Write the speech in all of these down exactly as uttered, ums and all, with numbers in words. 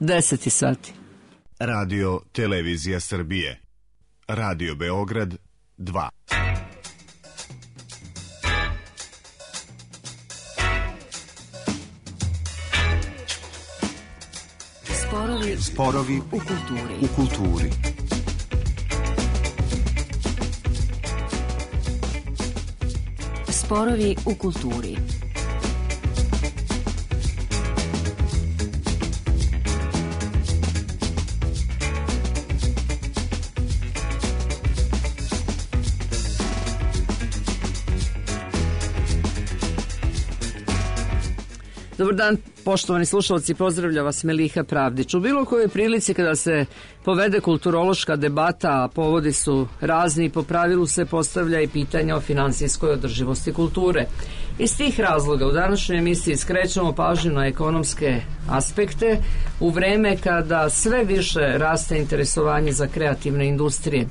deset sati. Radio Televizija Srbije. Radio Beograd dva. Sporovi, Sporovi u kulturi. U kulturi. Sporovi u kulturi. Dobar dan, poštovani slušalci, pozdravlja vas Meliha Pravdić. U bilo kojoj prilici kada se povede kulturološka debata, a povodi su razni, po pravilu se postavlja i pitanja o finansijskoj održivosti kulture. Iz tih razloga u današnjoj emisiji skrećemo pažnju na ekonomske aspekte u vreme kada sve više raste interesovanje za kreativne industrije.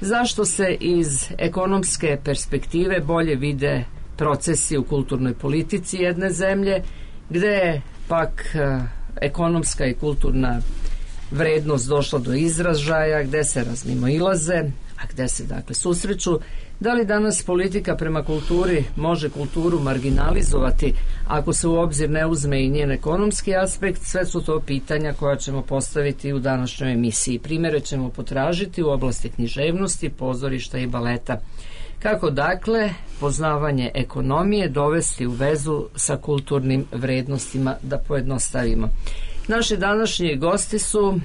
Zašto se iz ekonomske perspektive bolje vide procesi u kulturnoj politici jedne zemlje, gde je pak ekonomska i kulturna vrednost došla do izražaja, gde se razmimoilaze, a gde se dakle susreću. Da li danas politika prema kulturi može kulturu marginalizovati ako se u obzir ne uzme i njen ekonomski aspekt? Sve su to pitanja koja ćemo postaviti u današnjoj emisiji. Primere ćemo potražiti u oblasti književnosti, pozorišta i baleta. Kako dakle poznavanje ekonomije dovesti u vezu sa kulturnim vrednostima, da pojednostavimo. Naši današnji gosti su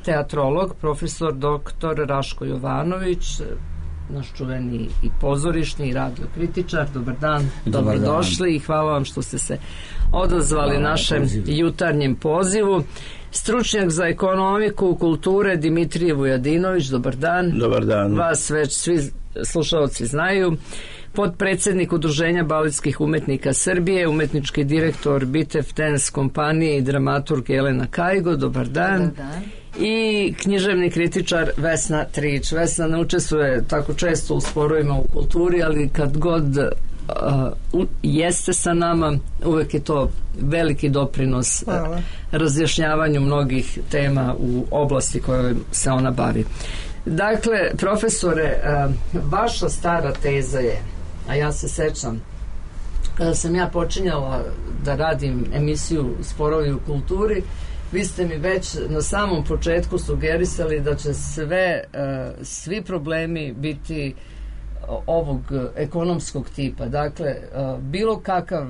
teatrolog, profesor doktor Raško Jovanović, naš čuveni i pozorišni i radiokritičar. Dobar dan, dobrodošli i hvala vam što ste se odazvali hvala našem pozivu. Jutarnjem pozivu. Stručnjak za ekonomiku kulture Dimitrije Vujadinović, dobar dan. Dobar dan. Vas već svi slušalci znaju. Potpredsednik Udruženja baletskih umetnika Srbije, umetnički direktor Bitev Dance kompanije i dramaturg Jelena Kajgo, dobar dan. Dobar dan. I književni kritičar Vesna Trić. Vesna ne učestvuje tako često u sporovima u kulturi, ali kad god uh, jeste sa nama, uvek je to veliki doprinos uh, razjašnjavanju mnogih tema u oblasti koje se ona bavi. Dakle, profesore, uh, vaša stara teza je, a ja se sećam, kada sam ja počinjala da radim emisiju Sporovi u kulturi, vi ste mi već na samom početku sugerisali da će sve, uh, svi problemi biti ovog ekonomskog tipa. Dakle, uh, bilo kakav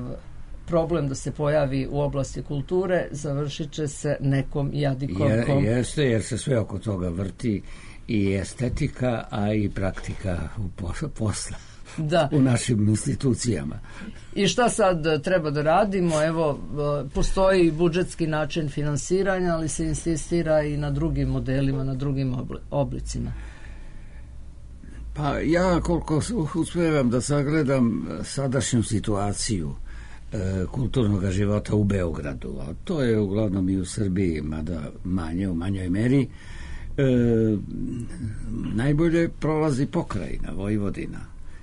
problem da se pojavi u oblasti kulture završit će se nekom jadikom. Je, jeste, jer se sve oko toga vrti i estetika, a i praktika u posla. Da. U našim institucijama. I šta sad treba da radimo? Evo, postoji budžetski način finansiranja, ali se insistira i na drugim modelima, na drugim oblicima. Pa ja koliko uspijevam da sagledam sadašnju situaciju e, kulturnog života u Beogradu, a to je uglavnom i u Srbiji, mada manje, u manjoj meri, e, najbolje prolazi pokrajina Vojvodina,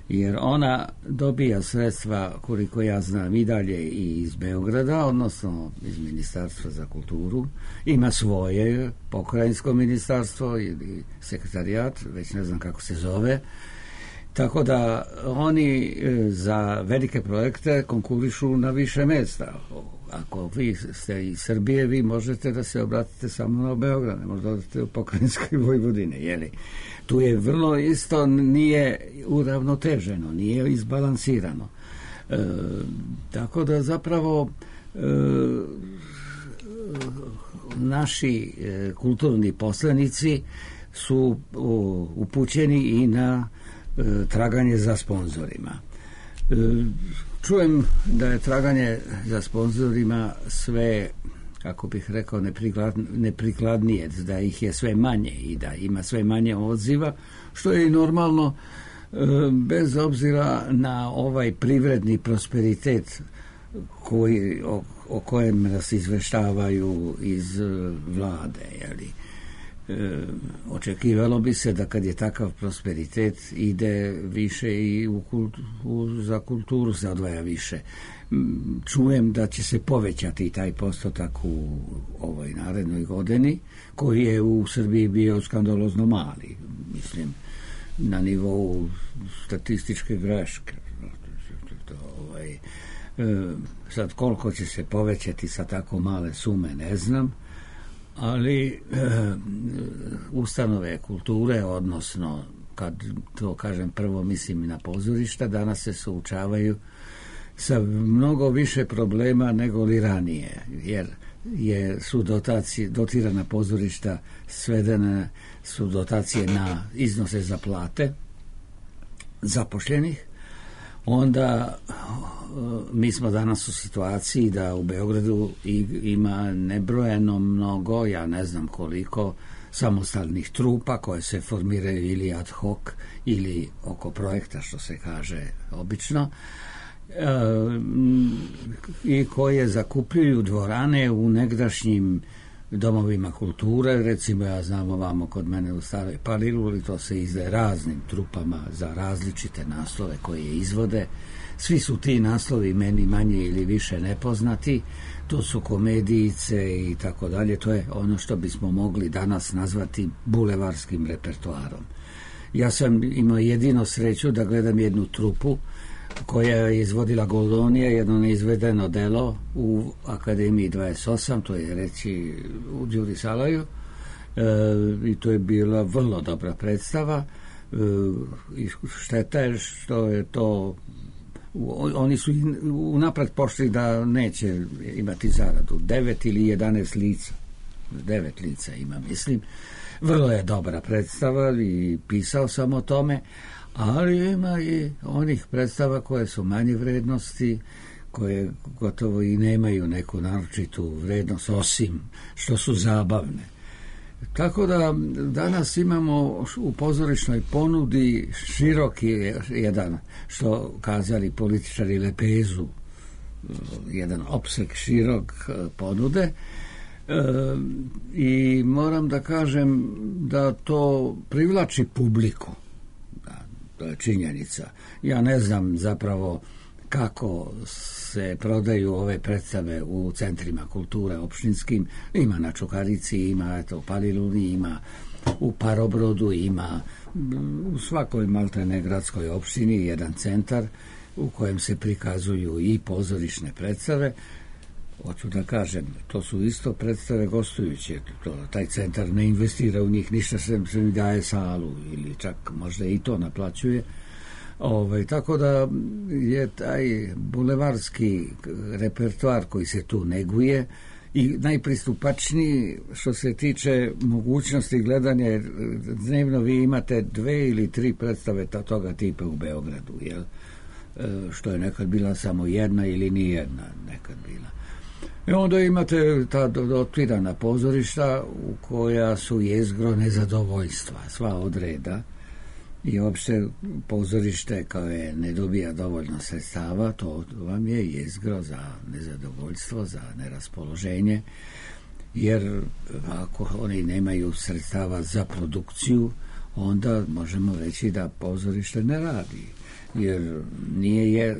jer ona dobija sredstva, koliko ja znam, i dalje i iz Beograda, odnosno iz Ministarstva za kulturu. Ima svoje pokrajinsko ministarstvo ili sekretarijat, već ne znam kako se zove. Tako da oni za velike projekte konkurišu na više mesta. Ako vi ste iz Srbije, vi možete da se obratite samo na Beograd, ne možete odete u pokrajinskoj Vojvodine, jeli? Tu je vrlo isto, nije uravnoteženo, nije izbalansirano. E, tako da zapravo e, naši e, kulturni poslanici su o, upućeni i na e, traganje za sponzorima. E, čujem da je traganje za sponzorima sve, kako bih rekao, nepriklad, neprikladnije, da ih je sve manje i da ima sve manje odziva, što je i normalno bez obzira na ovaj privredni prosperitet koji, o, o kojem nas izveštavaju iz vlade. Jeli. E, očekivalo bi se da kad je takav prosperitet ide više i u kultu, u, za kulturu se odvaja više. Čujem da će se povećati taj postotak u ovoj narednoj godini, koji je u Srbiji bio skandalozno mali, mislim, na nivou statističke greške. Ovaj, e, sad koliko će se povećati sa tako male sume ne znam, ali e, ustanove kulture, odnosno kad to kažem prvo mislim na pozorišta, danas se suočavaju sa mnogo više problema nego li ranije, jer je, su dotacije, dotirana pozorišta svedene su dotacije na iznose za plate zapošljenih. Onda mi smo danas u situaciji da u Beogradu ima nebrojeno mnogo, ja ne znam koliko, samostalnih trupa koje se formiraju ili ad hoc ili oko projekta, što se kaže obično, e, i koje zakupljuju dvorane u negdašnjim domovima kulture. Recimo, ja znam ovamo kod mene u Staroj Paliluli, to se izdaje raznim trupama za različite naslove koje izvode. Svi su ti naslovi meni manje ili više nepoznati. To su komedijice i tako dalje. To je ono što bismo mogli danas nazvati bulevarskim repertoarom. Ja sam imao jedino sreću da gledam jednu trupu koja je izvodila Goldonija, jedno neizvedeno delo u Akademiji dvadeset osam, to je reći u Đuri Salaju, e, i to je bila vrlo dobra predstava. E, i šteta je što je to, oni su unapred pošli da neće imati zaradu. Devet ili jedanaest lica, devet lica ima, mislim. Vrlo je dobra predstava i pisao sam o tome, ali ima i onih predstava koje su manje vrednosti, koje gotovo i nemaju neku naročitu vrednost, osim što su zabavne. Tako da danas imamo u pozorišnoj ponudi široki jedan, što kazali političari, lepezu, jedan opseg širok ponude. E, i moram da kažem da to privlači publiku. To je činjenica. Ja ne znam zapravo kako se prodaju ove predstave u centrima kulture opštinskim. Ima na Čukarici, ima eto, u Paliluli, ima u Parobrodu, ima u svakoj maltene gradskoj opštini jedan centar u kojem se prikazuju i pozorišne predstave. Hoću da kažem, to su isto predstave gostujuće. To, taj centar ne investira u njih ništa, sem se mi daje salu ili čak možda i to naplaćuje. Ove, tako da je taj bulevarski repertoar koji se tu neguje i najpristupačniji što se tiče mogućnosti gledanja. Dnevno vi imate dve ili tri predstave toga tipa u Beogradu, jel? Što je nekad bila samo jedna ili ni jedna nekad bila. I onda imate ta dotirana pozorišta u koja su jezgro nezadovoljstva, sva od reda, i uopšte pozorište koje ne dobija dovoljno sredstava, to vam je jezgro za nezadovoljstvo, za neraspoloženje, jer ako oni nemaju sredstava za produkciju, onda možemo reći da pozorište ne radi. Jer nije je,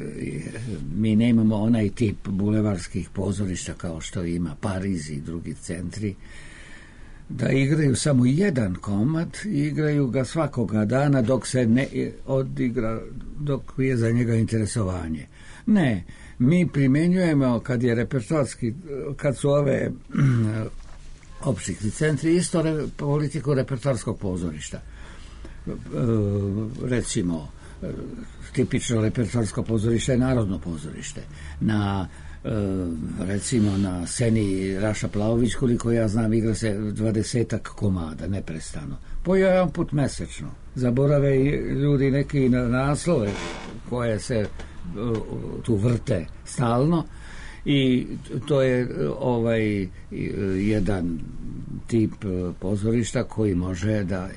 mi nemamo onaj tip bulevarskih pozorišta kao što ima Pariz i drugi centri, da igraju samo jedan komad i igraju ga svakoga dana dok se ne odigra, dok je za njega interesovanje. Ne, mi primenjujemo kad je repertoarski, kad su ove opštinski centri, isto re, politiku repertoarskog pozorišta. E, recimo, tipično repertoarsko pozorište je Narodno pozorište. Na e, recimo na sceni Raša Plaović, koliko ja znam, igra se dvadesetak komada neprestano. Po jedan put mesečno. Zaborave ljudi neki na naslove koje se tu vrte stalno, i to je ovaj jedan tip pozorišta koji može da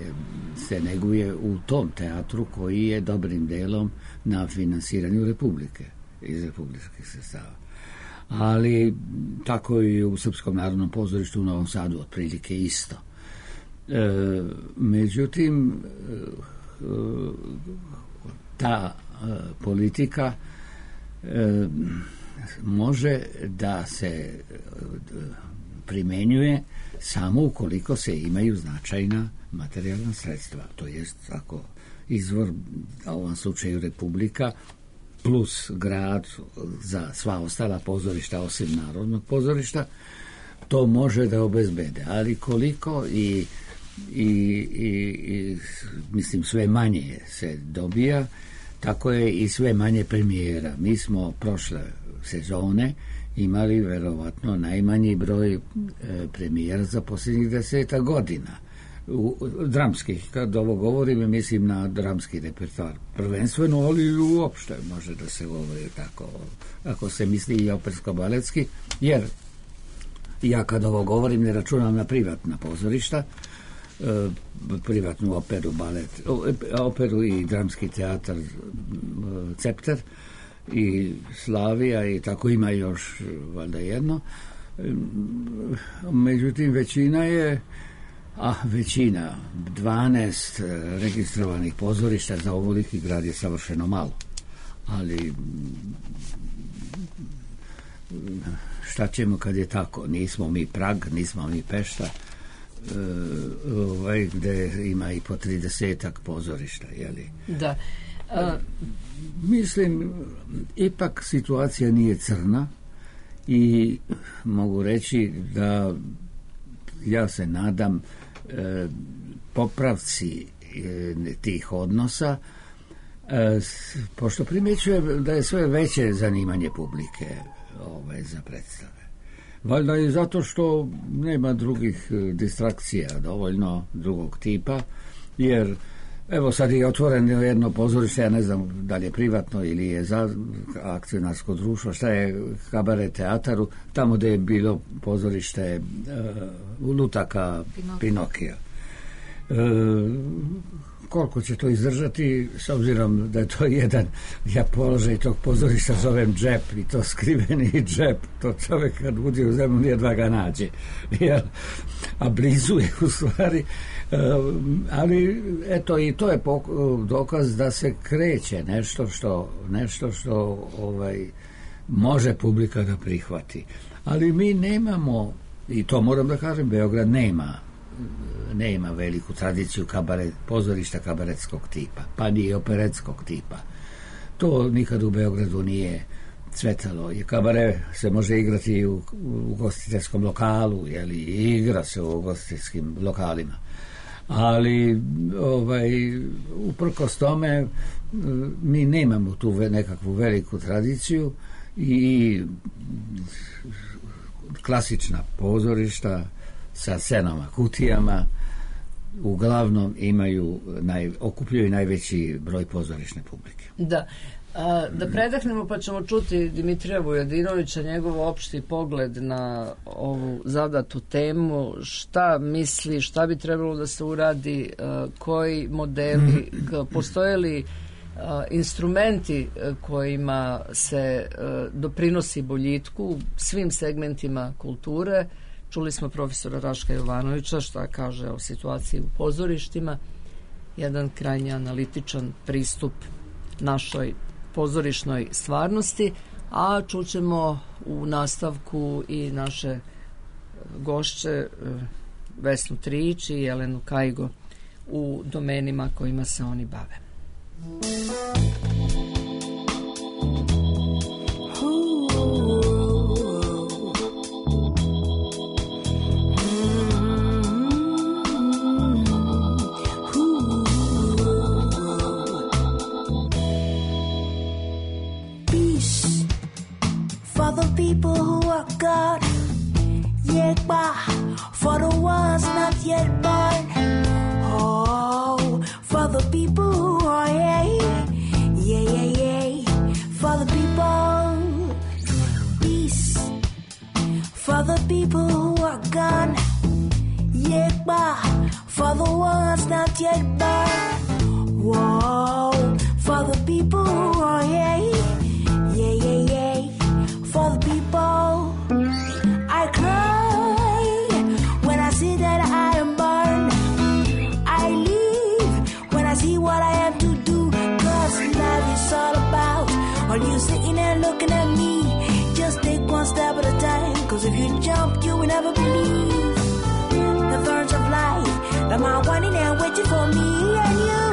se neguje u tom teatru koji je dobrim delom na finansiranju Republike, iz republičkih sredstava. Ali tako i u Srpskom narodnom pozorištu u Novom Sadu otprilike isto. E, međutim, e, ta e, politika e, može da se e, primenjuje samo ukoliko se imaju značajna materijalna sredstva. To jest ako izvor, u ovom slučaju Republika, plus grad za sva ostala pozorišta osim Narodnog pozorišta, to može da obezbede. Ali koliko i, i, i, i mislim sve manje se dobija, tako je i sve manje premijera. Mi smo prošle sezone imali verovatno najmanji broj e, premijera za posljednjih deseta godina. U, dramskih, kad ovo govorim, mislim na dramski repertoar prvenstveno, ali uopšte može da se govori tako, ako se misli i opersko-baletski, jer ja kad ovo govorim ne računam na privatna pozorišta, e, privatnu operu, balet, operu i dramski teatar e, Cepter i Slavija i tako ima još valjda jedno. E, međutim, većina je a većina, dvanaest registrovanih pozorišta za ovoliki grad je savršeno malo. Ali šta ćemo kad je tako? Nismo mi Prag, nismo mi Pešta, ovaj, gde ima i po tridesetak pozorišta, jeli? Da. A... Mislim, ipak situacija nije crna i mogu reći da ja se nadam e, popravci e, tih odnosa, e, pošto primjećujem da je sve veće zanimanje publike ove, za predstave. Valjda i zato što nema drugih distrakcija dovoljno drugog tipa, jer evo sad je otvoreno jedno pozorište, ja ne znam da li je privatno ili je za akcionarsko društvo, šta je Kabaret teataru, tamo gde je bilo pozorište uh, Lutaka Pinokija. Uh, koliko će to izdržati, s obzirom da je to jedan, ja položaj tog pozorišta zovem džep, i to skriveni džep, to čovjek kad budi u zemlju jedva ga nađe, jer, a blizu je u stvari. Um, ali eto i to je pok- dokaz da se kreće nešto što nešto što ovaj može publika da prihvati. Ali mi nemamo, i to moram da kažem, Beograd nema nema veliku tradiciju kabaret, pozorišta kabaretskog tipa, pa ni operetskog tipa. To nikad u Beogradu nije cvetalo. I kabare se može igrati u, u ugostiteljskom lokalu, jeli, i igra se u ugostiteljskim lokalima. Ali ovaj, uprkos tome mi nemamo tu nekakvu veliku tradiciju i klasična pozorišta sa scenama, kutijama uglavnom imaju naj, okupljaju najveći broj pozorišne publike. Da. A, da predahnemo pa ćemo čuti Dimitrija Vujadinovića, njegov opšti pogled na ovu zadatu temu, šta misli, šta bi trebalo da se uradi, a, koji modeli, k, postoje li a, instrumenti a, kojima se a, doprinosi boljitku svim segmentima kulture. Čuli smo profesora Raška Jovanovića šta kaže o situaciji u pozorištima, jedan krajnje analitičan pristup našoj pozorišnoj stvarnosti, a čućemo u nastavku i naše gošće Vesnu Trić i Jelenu Kajgo u domenima kojima se oni bave. People who are gone, yet by for the ones not yet born. Oh, for the people who are yeah, yeah, yeah, yeah. For the people, peace. For the people who are gone, yet by for the ones not yet born. Whoa, for the people who are yeah, yeah, yeah, yeah. For the people, I cry when I see that I am burned. never believe. The thorns of life, the man wanting and waiting for me and you.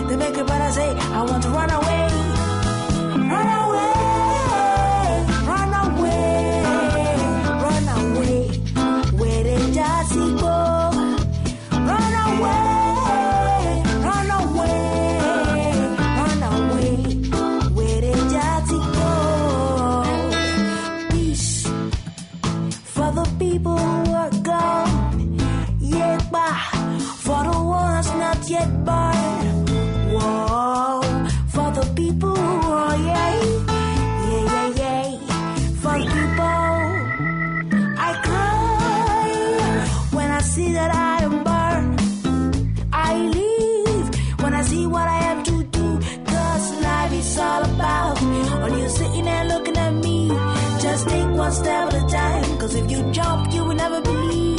They make it better say, I want to run away. Run away, run away, run away. Where did Jazzy go? Run away, run away, run away. Where did Jazzy go? Peace for the people who are gone. Yeah, bah, for the ones not yet born. Whoa, for the people who are yeah, yeah, yeah, yeah. For the people, I cry when I see that I am burned. I leave when I see what I have to do. Cause life is all about when you're sitting there looking at me. Just take one step at a time. Cause if you jump, you will never believe.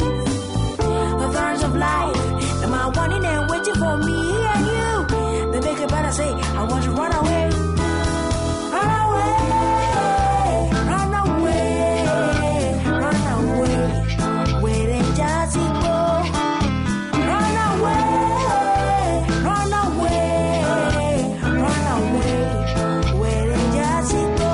The thorns of life, the man wanting and waiting for me and you. They make it better say, I want to run away. Run away, run away, run away. Where did Jazzy go? Run away, run away, run away. Where did Jazzy go?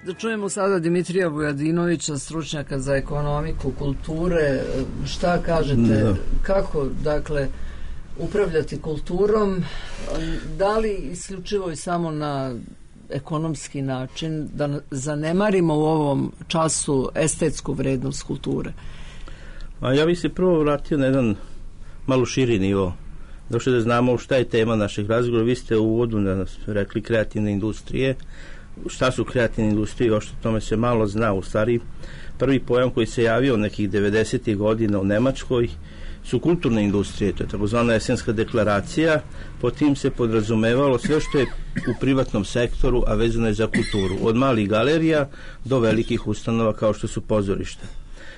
Da čujemo sada Dimitrija Vujadinovića, stručnjaka za ekonomiku, kulture. Šta kažete, da. Kako, dakle, upravljati kulturom? Da li isključivo i samo na ekonomski način, da zanemarimo u ovom času estetsku vrednost kulture? A ja bih se prvo vratio na jedan malo širi nivo. Došli da znamo šta je tema naših razgovora. Vi ste u uvodu nas rekli kreativne industrije. Šta su kreativne industrije, još o tome se malo zna. U stvari, prvi pojam koji se javio nekih devedesetih godina u Nemačkoj su kulturne industrije, to je takozvana Esenska deklaracija. Po tim se podrazumevalo sve što je u privatnom sektoru, a vezano je za kulturu, od malih galerija do velikih ustanova kao što su pozorišta.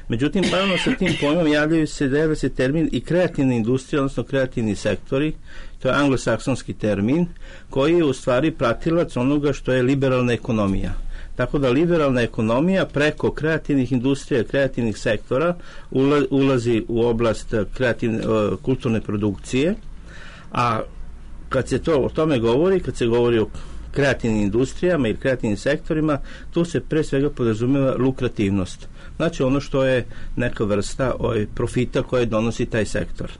Međutim, paralelno sa tim pojmom javljaju se, javlja se termin i kreativne industrije, odnosno kreativni sektori. To je anglosaksonski termin koji je u stvari pratilac onoga što je liberalna ekonomija. Tako da liberalna ekonomija preko kreativnih industrija, kreativnih sektora ulazi u oblast kreativne, kulturne produkcije, a kad se to o tome govori, kad se govori o kreativnim industrijama i kreativnim sektorima, tu se pre svega podrazumeva lukrativnost. Znači ono što je neka vrsta ovaj, profita koje donosi taj sektor.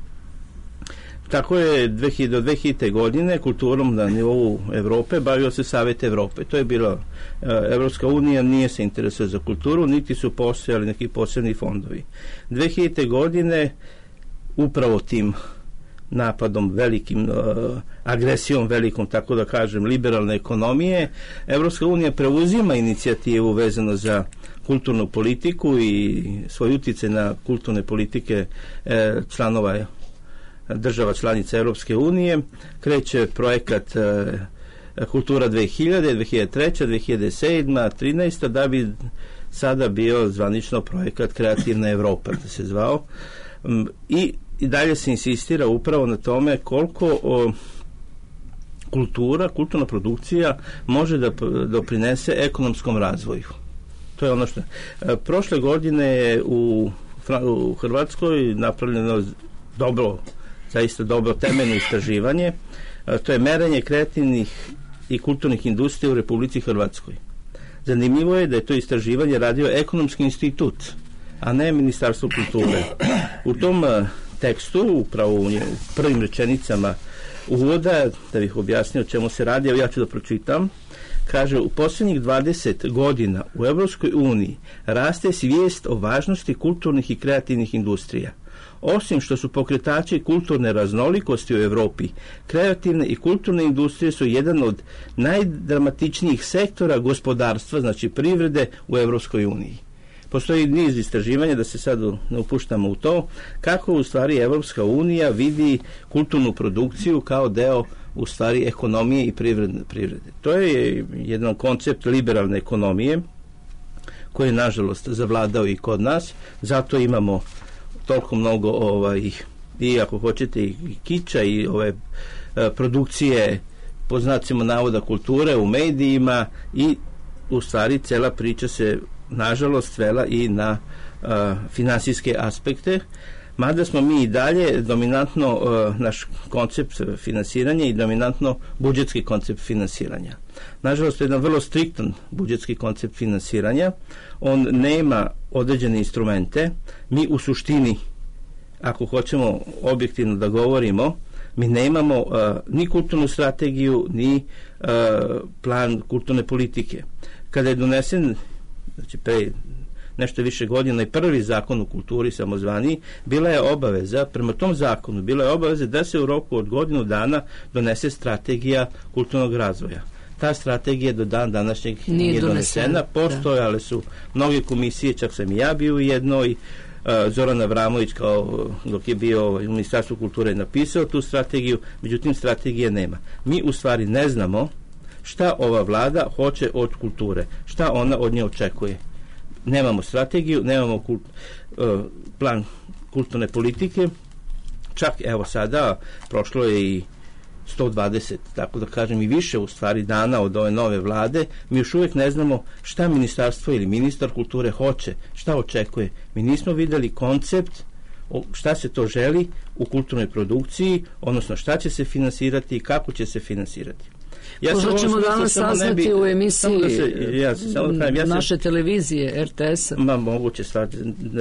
Tako je do dve hiljadite. godine kulturom na nivou Evrope bavio se Savet Evrope. To je bila Evropska unija, nije se interesuje za kulturu, niti su postojali neki posebni fondovi. dve hiljadite. godine upravo tim napadom velikim, uh, agresijom velikom, tako da kažem, liberalne ekonomije, Evropska unija preuzima inicijativu vezano za kulturnu politiku i svoj uticaj na kulturne politike eh, članova država članica Evropske unije. Kreće projekat eh, Kultura dve hiljade, dve hiljade treće, dve hiljade sedme, trinaesta da bi sada bio zvanično projekat Kreativna Evropa, da se zvao. Um, i I dalje se insistira upravo na tome koliko o, kultura, kulturna produkcija može da doprinese ekonomskom razvoju. To je ono što... E, prošle godine je u, u Hrvatskoj napravljeno dobro, zaista dobro temeljno istraživanje. E, to je merenje kreativnih i kulturnih industrija u Republici Hrvatskoj. Zanimljivo je da je to istraživanje radio Ekonomski institut, a ne Ministarstvo kulture. U tom tekstu, upravo u prvim rečenicama uvoda, da bih objasnio o čemu se radi, evo ja ću da pročitam, kaže, u posljednjih dvadeset godina u Evropskoj uniji raste svijest o važnosti kulturnih i kreativnih industrija. Osim što su pokretači kulturne raznolikosti u Evropi, kreativne i kulturne industrije su jedan od najdramatičnijih sektora gospodarstva, znači privrede u Evropskoj uniji. Postoji niz istraživanja, da se sad ne upuštamo u to, kako u stvari Evropska unija vidi kulturnu produkciju kao deo u stvari ekonomije i privrede. privrede. To je jedan koncept liberalne ekonomije koji je nažalost zavladao i kod nas, zato imamo toliko mnogo ovaj, i ako hoćete i kiča i ove produkcije po znacima navoda kulture u medijima i u stvari cela priča se nažalost svela i na uh, finansijske aspekte, mada smo mi i dalje dominantno uh, naš koncept finansiranja i dominantno budžetski koncept finansiranja. Nažalost, je jedan vrlo striktan budžetski koncept finansiranja. On nema određene instrumente. Mi u suštini, ako hoćemo objektivno da govorimo, mi nemamo uh, ni kulturnu strategiju, ni uh, plan kulturne politike. Kada je donesen, znači pre nešto više godina i prvi zakon o kulturi samozvani, bila je obaveza, prema tom zakonu, bila je obaveza da se u roku od godinu dana donese strategija kulturnog razvoja. Ta strategija do dan današnjeg nije, nije donesena. Postojale su mnoge komisije, čak sam i ja bio u jednoj, Zoran Avramović kao dok je bio u Ministarstvu kulture napisao tu strategiju, međutim strategije nema. Mi u stvari ne znamo šta ova vlada hoće od kulture, šta ona od nje očekuje. Nemamo strategiju, nemamo kult, uh, plan kulturne politike, čak evo sada prošlo je i sto dvadeset, tako da kažem i više u stvari dana od ove nove vlade, mi još uvijek ne znamo šta ministarstvo ili ministar kulture hoće, šta očekuje. Mi nismo videli koncept šta se to želi u kulturnoj produkciji, odnosno šta će se finansirati i kako će se finansirati. Ja možda ćemo danas saznati bi, u emisiji da se, ja, kažem, ja naše se, televizije er te es-a. Ma moguće stvar,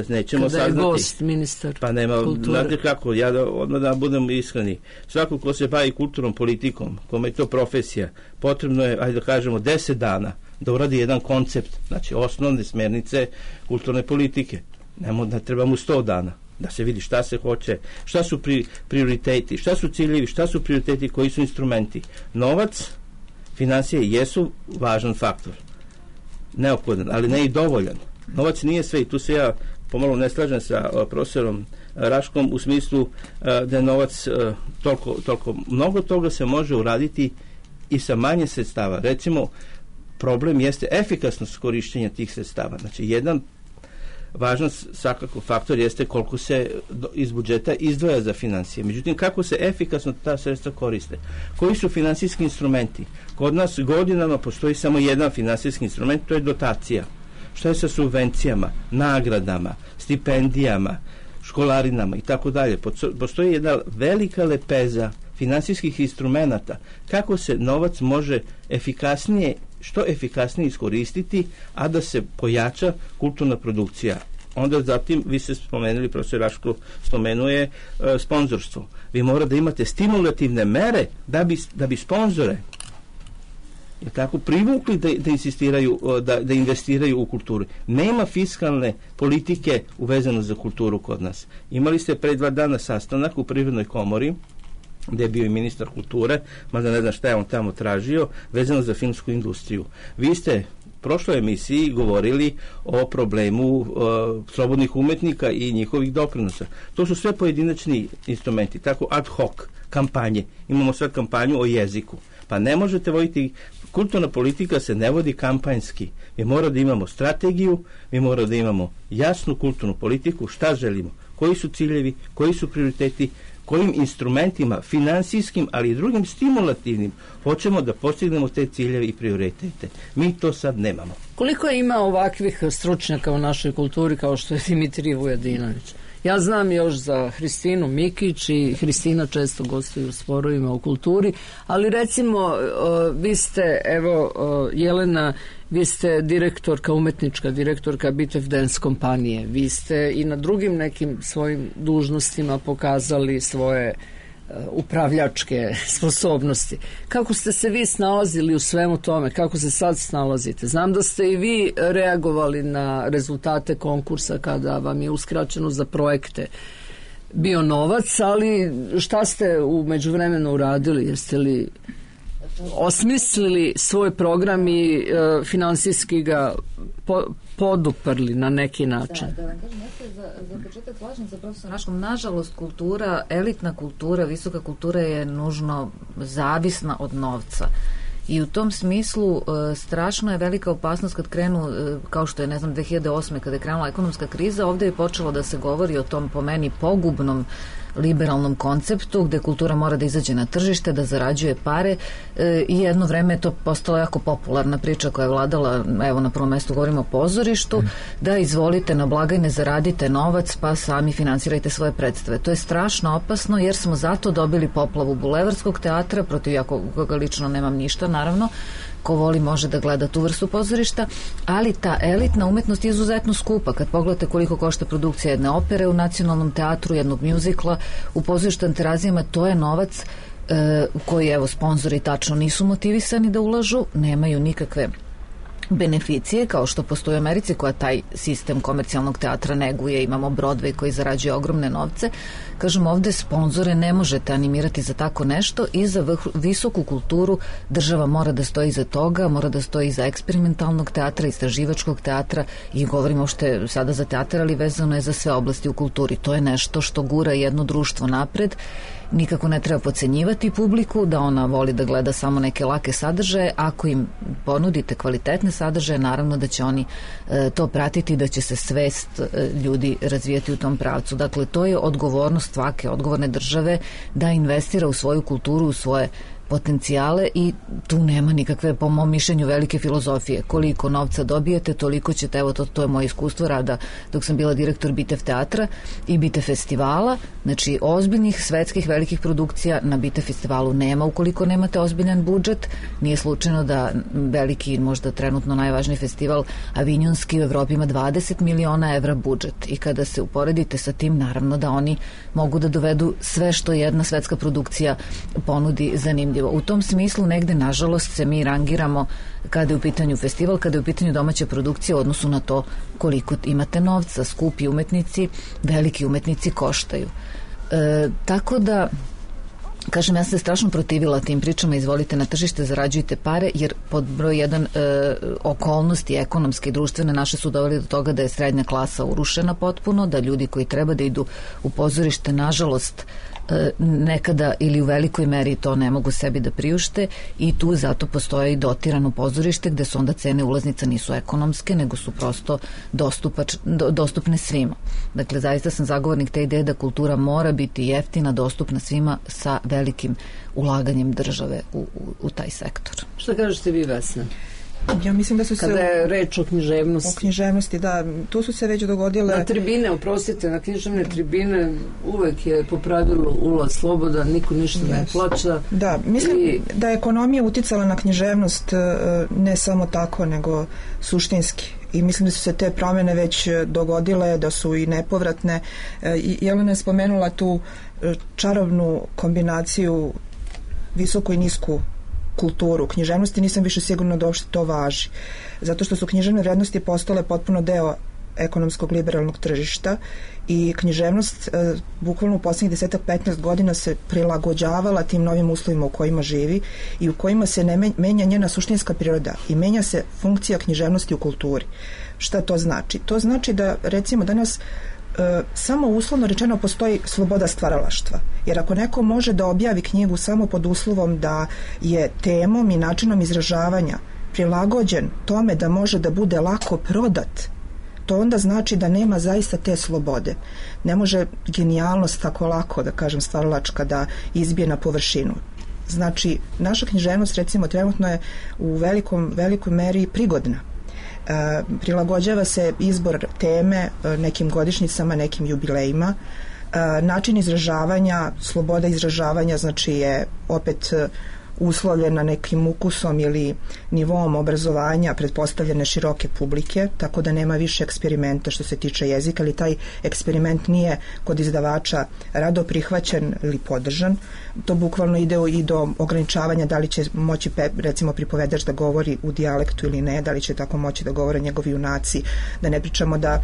nećemo kada saznati. Kada je gost, ministar pa nema, kulture. Znate kako, ja da, odmah da budem iskreni. Svako ko se bavi kulturnom politikom, kome je to profesija, potrebno je, ajde da kažemo, deset dana da uradi jedan koncept, znači osnovne smernice kulturne politike. Nemo da treba mu sto dana da se vidi šta se hoće, šta su pri, prioriteti, šta su ciljevi, šta su prioriteti, koji su instrumenti. Novac, finansije jesu važan faktor, neophodan, ali ne i dovoljan. Novac nije sve i tu se ja pomalo ne slažem sa uh, profesorom Raškom u smislu uh, da je novac uh, toliko, toliko, mnogo toga se može uraditi i sa manje sredstava. Recimo, problem jeste efikasnost korištenja tih sredstava. Znači, jedan važan svakako faktor jeste koliko se iz budžeta izdvaja za financije. Međutim, kako se efikasno ta sredstva koriste? Koji su finansijski instrumenti? Kod nas godinama postoji samo jedan finansijski instrument, to je dotacija. Šta je sa subvencijama, nagradama, stipendijama, školarinama i tako dalje? Postoji jedna velika lepeza finansijskih instrumenata. Kako se novac može efikasnije što efikasnije iskoristiti, a da se pojača kulturna produkcija. Onda zatim, vi ste spomenuli, profesor Raško spomenuje e, sponzorstvo. Vi morate da imate stimulativne mere da bi, da bi sponzore je tako privukli da, da insistiraju, da, da investiraju u kulturu. Nema fiskalne politike uvezano za kulturu kod nas. Imali ste pre dva dana sastanak u Privrednoj komori, gde je bio i ministar kulture, mada ne znam šta je on tamo tražio, vezano za filmsku industriju. Vi ste u prošloj emisiji govorili o problemu uh, slobodnih umetnika i njihovih doprinosa. To su sve pojedinačni instrumenti, tako ad hoc kampanje. Imamo sve kampanju o jeziku. Pa ne možete voditi, kulturna politika se ne vodi kampanjski. Mi moramo da imamo strategiju, mi moramo da imamo jasnu kulturnu politiku, šta želimo, koji su ciljevi, koji su prioriteti, kojim instrumentima, finansijskim, ali i drugim stimulativnim, hoćemo da postignemo te ciljeve i prioritete. Mi to sad nemamo. Koliko ima ovakvih stručnjaka u našoj kulturi kao što je Dimitrij Vujadinović? Ja znam još za Hristinu Mikić i Hristina često gostuje u Sporovima u kulturi, ali recimo vi ste, evo Jelena, vi ste direktorka, umetnička direktorka Bitev Dance kompanije. Vi ste i na drugim nekim svojim dužnostima pokazali svoje upravljačke sposobnosti. Kako ste se vi snalazili u svemu tome? Kako se sad snalazite? Znam da ste i vi reagovali na rezultate konkursa kada vam je uskraćeno za projekte bio novac, ali šta ste u međuvremenu uradili? Jeste li osmislili svoj program i e, finansijski ga po, poduprli na neki način. Da, da vam kažem, ja se za, za početak slažem sa profesorom Raškom. Nažalost, kultura, elitna kultura, visoka kultura je nužno zavisna od novca. I u tom smislu e, strašno je velika opasnost kad krenu, e, kao što je, ne znam, dve hiljade osme kada je krenula ekonomska kriza, ovdje je počelo da se govori o tom, po meni, pogubnom liberalnom konceptu gde kultura mora da izađe na tržište, da zarađuje pare e, i jedno vreme je to postala jako popularna priča koja je vladala, evo na prvom mestu govorimo o pozorištu, da izvolite na blagajne, zaradite novac pa sami finansirajte svoje predstave. To je strašno opasno jer smo zato dobili poplavu Bulevarskog teatra, protiv ja koga lično nemam ništa, naravno, ko voli može da gleda tu vrstu pozorišta, ali ta elitna umetnost je izuzetno skupa. Kad pogledate koliko košta produkcija jedne opere u Nacionalnom teatru, jednog mjuzikla, u pozorištu Terazijama, to je novac e, koji, evo, sponzori tačno nisu motivisani da ulažu, nemaju nikakve beneficije, kao što postoji u Americi koja taj sistem komercijalnog teatra neguje, imamo Broadway koji zarađuje ogromne novce. Kažem, ovde sponzore ne možete animirati za tako nešto i za vrh, visoku kulturu država mora da stoji iza toga, mora da stoji iza eksperimentalnog teatra, istraživačkog teatra i govorimo što sada za teatr, ali vezano je za sve oblasti u kulturi. To je nešto što gura jedno društvo napred. Nikako ne treba podcenjivati publiku da ona voli da gleda samo neke lake sadržaje. Ako im ponudite kvalitetne sadržaje, naravno da će oni e, to pratiti, da će se svest e, ljudi razvijati u tom pravcu. Dakle, to je odgovornost svake odgovorne države da investira u svoju kulturu, u svoje potencijale i tu nema nikakve, po mom mišljenju, velike filozofije. Koliko novca dobijete, toliko ćete, evo to, to je moje iskustvo rada dok sam bila direktor Bitev teatra i Bitev festivala, znači ozbiljnih svetskih velikih produkcija na Bitev festivalu nema ukoliko nemate ozbiljan budžet. Nije slučajno da veliki, možda trenutno najvažniji festival Avinjonski u Evropi ima dvadeset miliona evra budžet i kada se uporedite sa tim, naravno da oni mogu da dovedu sve što jedna svetska produkcija ponudi zanimljivo. U tom smislu negde, nažalost, se mi rangiramo kada je u pitanju festival, kada je u pitanju domaća produkcija u odnosu na to koliko imate novca. Skupi umetnici, veliki umetnici koštaju. E, tako da, kažem, ja sam se strašno protivila tim pričama, izvolite na tržište, zarađujte pare, jer pod broj jedan e, okolnosti ekonomske i društvene naše su doveli do toga da je srednja klasa urušena potpuno, da ljudi koji treba da idu u pozorište, nažalost, nekada ili u velikoj meri to ne mogu sebi da priušte i tu zato postoje i dotirano pozorište gde su onda cene ulaznica nisu ekonomske, nego su prosto dostupač, do, dostupne svima. Dakle, zaista sam zagovornik te ideje da kultura mora biti jeftina, dostupna svima sa velikim ulaganjem države u, u, u taj sektor. Šta kažete vi, Vesna? Ja mislim da su se... Kada je reč o književnosti. O književnosti, da. Tu su se već dogodile... Na tribine, oprostite, na književne tribine uvek je po pravilu ulaz slobodan, niko ništa yes. ne plaća. Da, mislim i... da je ekonomija uticala na književnost ne samo tako, nego suštinski. I mislim da su se te promjene već dogodile, da su i nepovratne. I Jelena je spomenula tu čarobnu kombinaciju visoku i nisku kulturu književnosti, nisam više sigurna da uopšte to važi. Zato što su književne vrednosti postale potpuno deo ekonomskog liberalnog tržišta i književnost e, bukvalno u posljednjih desetak petnaest godina se prilagođavala tim novim uslovima u kojima živi i u kojima se ne menja njena suštinska priroda i menja se funkcija književnosti u kulturi. Šta to znači? To znači da, recimo, danas E, samo uslovno rečeno postoji sloboda stvaralaštva. Jer ako neko može da objavi knjigu samo pod uslovom da je temom i načinom izražavanja prilagođen tome da može da bude lako prodat, to onda znači da nema zaista te slobode. Ne može genijalnost tako lako, da kažem, stvaralačka da izbije na površinu. Znači, naša književnost, recimo, trenutno je u velikom, velikoj meri prigodna. E, prilagođava se izbor teme nekim godišnjicama, nekim jubilejima. E, način izražavanja, sloboda izražavanja, znači je opet uslovljena nekim ukusom ili nivom obrazovanja pretpostavljene široke publike, tako da nema više eksperimenta što se tiče jezika, ali taj eksperiment nije kod izdavača rado prihvaćen ili podržan. To bukvalno ide i do ograničavanja da li će moći, recimo, pripovedač da govori u dijalektu ili ne, da li će tako moći da govore njegovi junaci, da ne pričamo da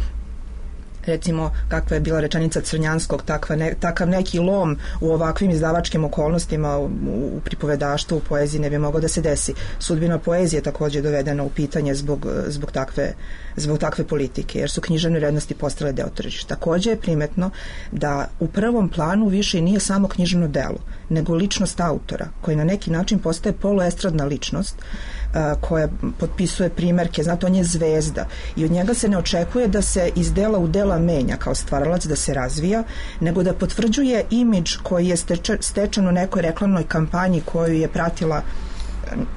recimo kakva je bila rečenica Crnjanskog, takva ne, takav neki lom u ovakvim izdavačkim okolnostima u, u pripovedaštvu, u poeziji ne bi mogao da se desi. Sudbina poezije također dovedena u pitanje zbog, zbog, takve, zbog takve politike, jer su književne vrednosti postale deo tržišta. Također je primetno da u prvom planu više nije samo književno delo, nego ličnost autora, koji na neki način postaje poluestradna ličnost, koja potpisuje primerke, znate, on je zvezda i od njega se ne očekuje da se iz dela u dela menja kao stvaralac, da se razvija, nego da potvrđuje imidž koji je stečen u nekoj reklamnoj kampanji koju je pratila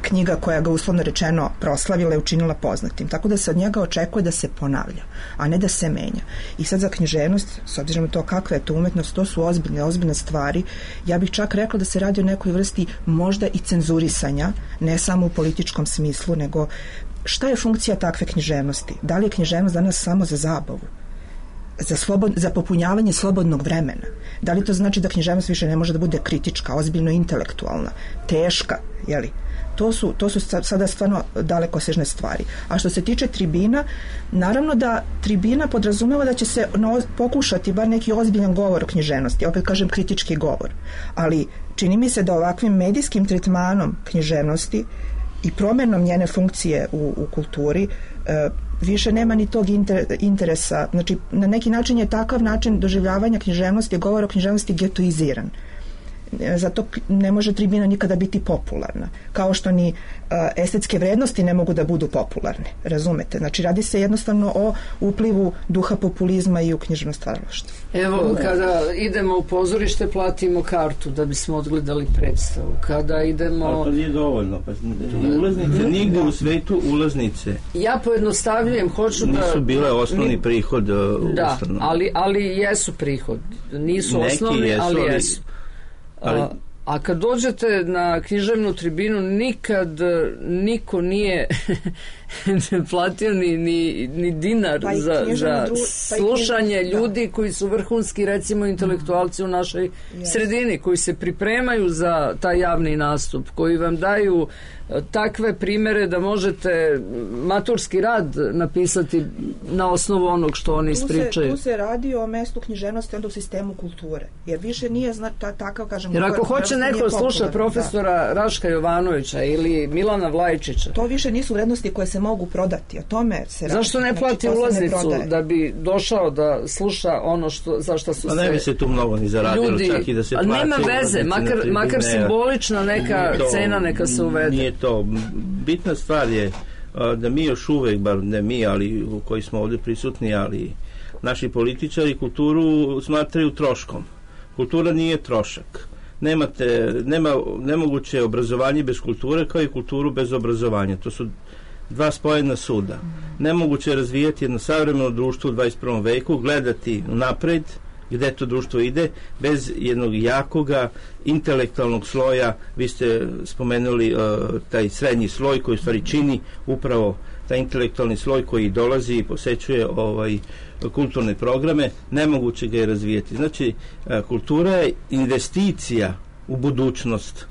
knjiga koja ga uslovno rečeno proslavila i učinila poznatim. Tako da se od njega očekuje da se ponavlja, a ne da se menja. I sad za književnost, s obzirom na to kakva je to umetnost, to su ozbiljne, ozbiljne stvari. Ja bih čak rekla da se radi o nekoj vrsti možda i cenzurisanja, ne samo u političkom smislu, nego šta je funkcija takve književnosti? Da li je književnost danas samo za zabavu? Za, slobod, za popunjavanje slobodnog vremena? Da li to znači da književnost više ne može da bude kritička, ozbiljno intelektualna, teška, jeli? To su, to su sada stvarno dalekosežne stvari. A što se tiče tribina, naravno da tribina podrazumeva da će se no, pokušati bar neki ozbiljan govor o književnosti, opet kažem kritički govor, ali čini mi se da ovakvim medijskim tretmanom književnosti i promjenom njene funkcije u, u kulturi e, više nema ni tog inter, interesa. Znači, na neki način je takav način doživljavanja književnosti, govor o književnosti getoiziran. Zato ne može tribina nikada biti popularna, kao što ni uh, estetske vrednosti ne mogu da budu popularne, razumete? Znači radi se jednostavno o uplivu duha populizma i u književno stvaralaštvo. Evo, kada idemo u pozorište platimo kartu da bismo odgledali predstavu. Kada idemo... Ali to nije dovoljno. Pa, ulaznice, nigde u svetu ulaznice. Ja pojednostavljujem, hoću da... Nisu bile osnovni mi... prihod uh, da, ustanova. ali, ali jesu prihod. Nisu neki osnovni, jesu, ali ali... jesu. Ali... A, a kad dođete na književnu tribinu nikad niko nije platio ni, ni, ni dinar pa za, za dru... slušanje pa ljudi da. koji su vrhunski recimo intelektualci u našoj yes. sredini, koji se pripremaju za taj javni nastup, koji vam daju takve primere da možete maturski rad napisati na osnovu onog što oni ispričaju. Tu se, tu se radi o mestu književnosti onda u sistemu kulture. Jer više nije zna, ta, takav, kažem... Jer ako hoće neko sluša profesora da. Raška Jovanovića ili Milana Vlajčića... To više nisu vrednosti koje se mogu prodati. O tome se radi. Zašto ne plati znači, ulaznicu ne da bi došao da sluša ono što, za što su se... Pa ne bi se tu mnogo ni zaradilo, ljudi, čak i da se plati. Nema veze, makar, makar simbolična neka to, cena neka se uvede. Nije to. Bitna stvar je da mi još uvek, bar ne mi, ali koji smo ovdje prisutni, ali naši političari kulturu smatraju troškom. Kultura nije trošak. Nemate, nema, nemoguće obrazovanje bez kulture kao i kulturu bez obrazovanja. To su dva spojena suda. Nemoguće je razvijati jedno savremeno društvo u dvadeset prvom veku, gledati napred gde to društvo ide, bez jednog jakoga intelektualnog sloja. Vi ste spomenuli uh, taj srednji sloj koji u stvari čini upravo taj intelektualni sloj koji dolazi i posećuje ovaj, kulturne programe. Nemoguće ga je razvijeti. Znači, uh, kultura je investicija u budućnost,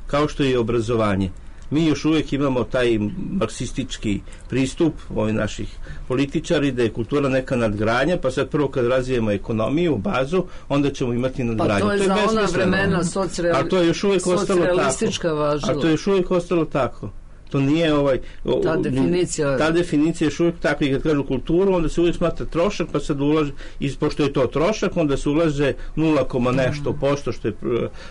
kao što je i obrazovanje. Mi još uvijek imamo taj marksistički pristup ovih naših političari da je kultura neka nadgradnja, pa sad prvo kad razvijemo ekonomiju, bazu, onda ćemo imati nadgradnju. Pa to je, to je za ona vremena socreal... a to je još uvijek ostalo tako. Važilo. A to je još uvijek ostalo tako. To nije ovaj... Ta definicija... Ta definicija je još uvijek tako i kad kažu kulturu, onda se uvijek smatra trošak, pa sad ulaže, i pošto je to trošak, onda se ulaže nula, nešto posto, što je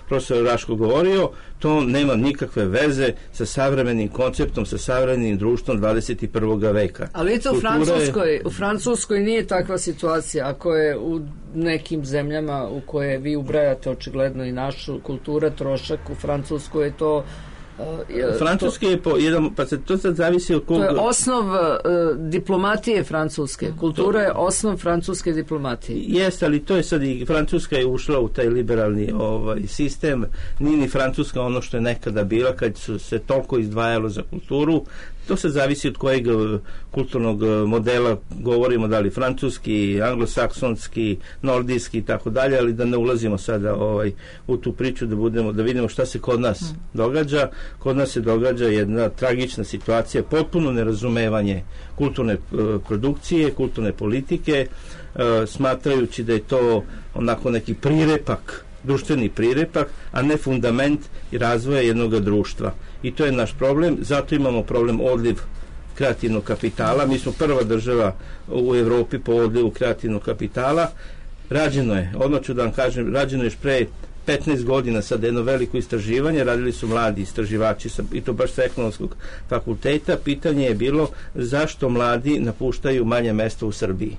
profesor Raško govorio, to nema nikakve veze sa savremenim konceptom, sa savremenim društvom dvadeset prvog veka. Ali to u Francuskoj, je... u Francuskoj nije takva situacija, ako je u nekim zemljama u koje vi ubrajate očigledno i našu kultura trošak, u Francuskoj je to Uh, Francuski je po jedan, pa se to sad zavisi od koga... To je osnov uh, diplomatije francuske. Kultura to... je osnov francuske diplomatije. Jeste, ali to je sad i Francuska je ušla u taj liberalni ovaj, sistem. Nije ni Francuska ono što je nekada bila kad su se toliko izdvajalo za kulturu. To se zavisi od kojeg kulturnog modela govorimo, da li francuski, anglosaksonski, nordijski i tako dalje, ali da ne ulazimo sada ovaj, u tu priču, da budemo, da vidimo šta se kod nas mm. događa. kod nas se događa jedna tragična situacija, potpuno nerazumevanje kulturne produkcije, kulturne politike, smatrajući da je to onako neki prirepak, društveni prirepak, a ne fundament i razvoja jednog društva. I to je naš problem, zato imamo problem odliv kreativnog kapitala. Mi smo prva država u Evropi po odlivu kreativnog kapitala. Rađeno je, odmah ću da vam kažem, rađeno je još pre petnaest godina sad jedno veliko istraživanje, radili su mladi istraživači i to baš sa ekonomskog fakulteta. Pitanje je bilo zašto mladi napuštaju manje mesta u Srbiji.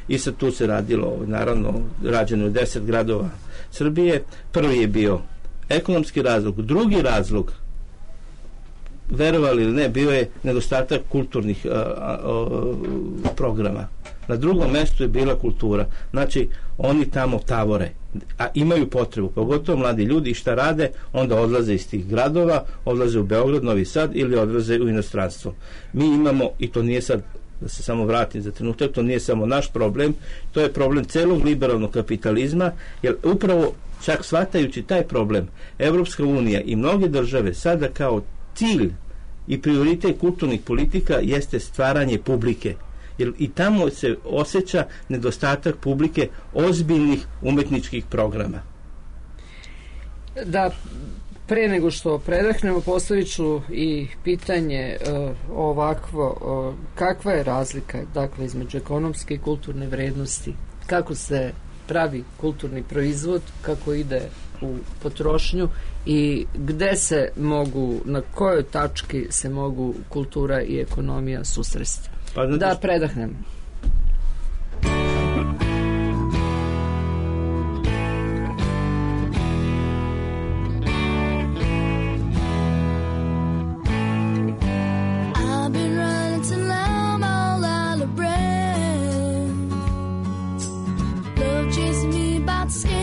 I sad tu se radilo, naravno, rađeno je deset gradova Srbije. Prvi je bio ekonomski razlog, drugi razlog, verovali ili ne, bio je nedostatak kulturnih a, a, a, programa. Na drugom mestu je bila kultura. Znači, oni tamo tavore, a imaju potrebu, pogotovo mladi ljudi, i šta rade, onda odlaze iz tih gradova, odlaze u Beograd, Novi Sad ili odlaze u inostranstvo. Mi imamo, i to nije sad, da se samo vratim za trenutak, to nije samo naš problem, to je problem celog liberalnog kapitalizma, jer upravo čak shvatajući taj problem, Evropska unija i mnoge države sada kao cilj i prioritet kulturnih politika jeste stvaranje publike. Jer i tamo se osjeća nedostatak publike ozbiljnih umetničkih programa. Da, pre nego što predahnemo, postavit ću i pitanje uh, ovakvo, uh, kakva je razlika, dakle, između ekonomske i kulturne vrednosti? Kako se pravi kulturni proizvod, kako ide u potrošnju i gde se mogu, na kojoj tački se mogu kultura i ekonomija susresti? Pa, znači, da predahnem. Cause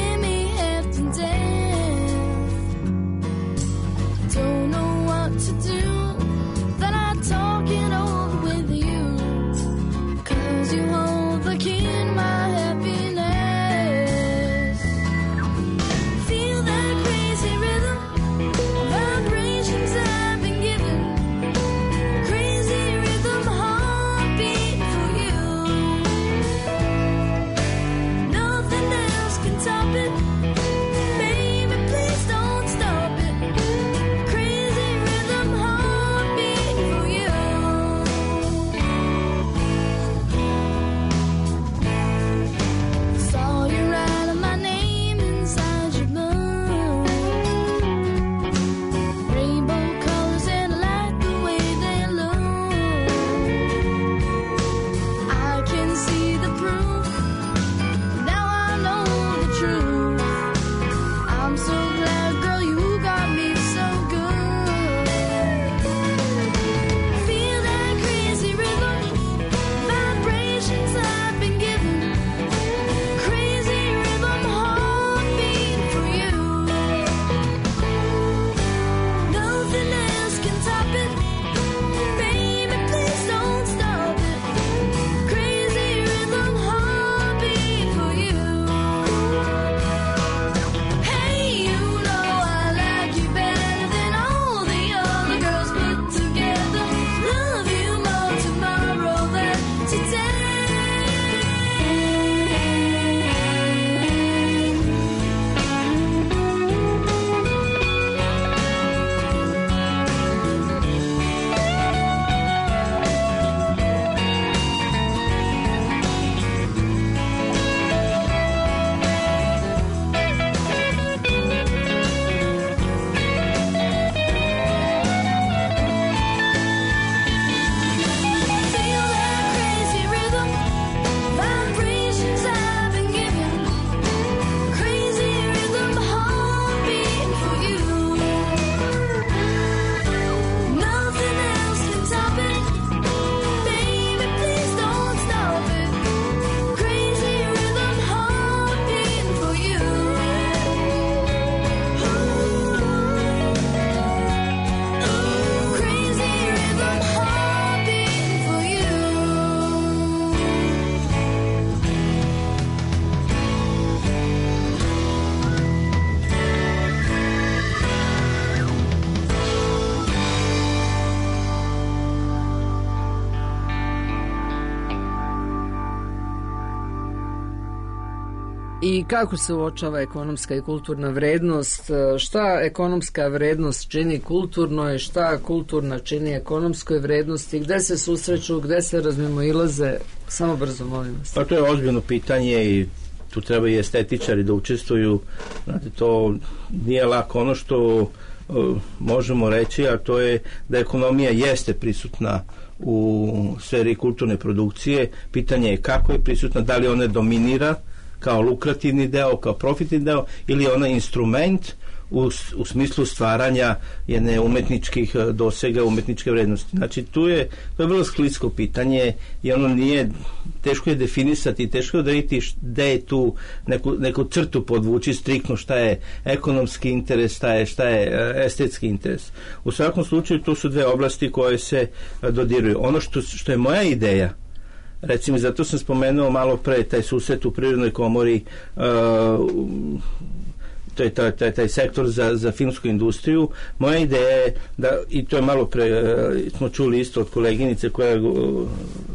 I kako se uočava ekonomska i kulturna vrednost? Šta ekonomska vrednost čini kulturnoj, šta kulturna čini ekonomskoj vrednosti? Gde se susreću, gde se razmimoilaze? Samo brzo, molim vas. Pa to je ozbiljno pitanje i tu treba i estetičari da učestvuju. Znate, to nije lako. Ono što uh, možemo reći, a to je da ekonomija jeste prisutna u sferi kulturne produkcije. Pitanje je kako je prisutna, da li ona dominira kao lukrativni deo, kao profitni deo, ili je ona instrument u, u smislu stvaranja jedne umetničkih dosega, umetničke vrednosti. Znači, tu je, to je vrlo sklisko pitanje i ono nije, teško je definisati, teško je odrediti gde je tu neku, neku crtu podvući striktno šta je ekonomski interes, šta je, šta je estetski interes. U svakom slučaju, to su dve oblasti koje se dodiruju. Ono što, što je moja ideja, recimo, zato sam spomenuo malo pre taj susret u Privrednoj komori, uh, to je taj, taj, taj sektor za, za filmsku industriju. Moja ideja je da, i to je malo pre uh, smo čuli isto od koleginice koja je uh,